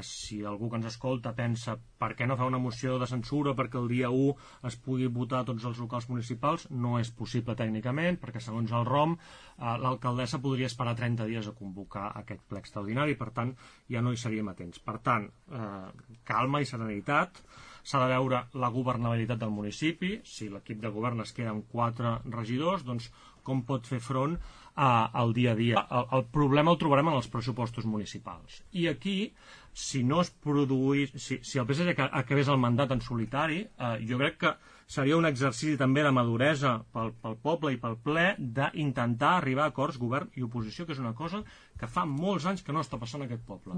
que si algú que ens escolta pensa per què no fa una moció de censura perquè el dia 1 es pugui votar a tots els locals municipals, no és possible tècnicament, perquè segons el ROM l'alcaldessa podria esperar 30 dies a convocar aquest ple extraordinari, per tant ja no hi seríem atents. Per tant, calma i serenitat, s'ha de veure la governabilitat del municipi, si l'equip de govern es queda amb 4 regidors, doncs com pot fer front al dia a dia. El problema el trobarem en els pressupostos municipals. I aquí, si no es produís, si el PSG acabés el mandat en solitari, jo crec que seria un exercici també de maduresa pel poble i pel ple d'intentar arribar a acords govern i oposició, que és una cosa que fa molts anys que no està passant a aquest poble.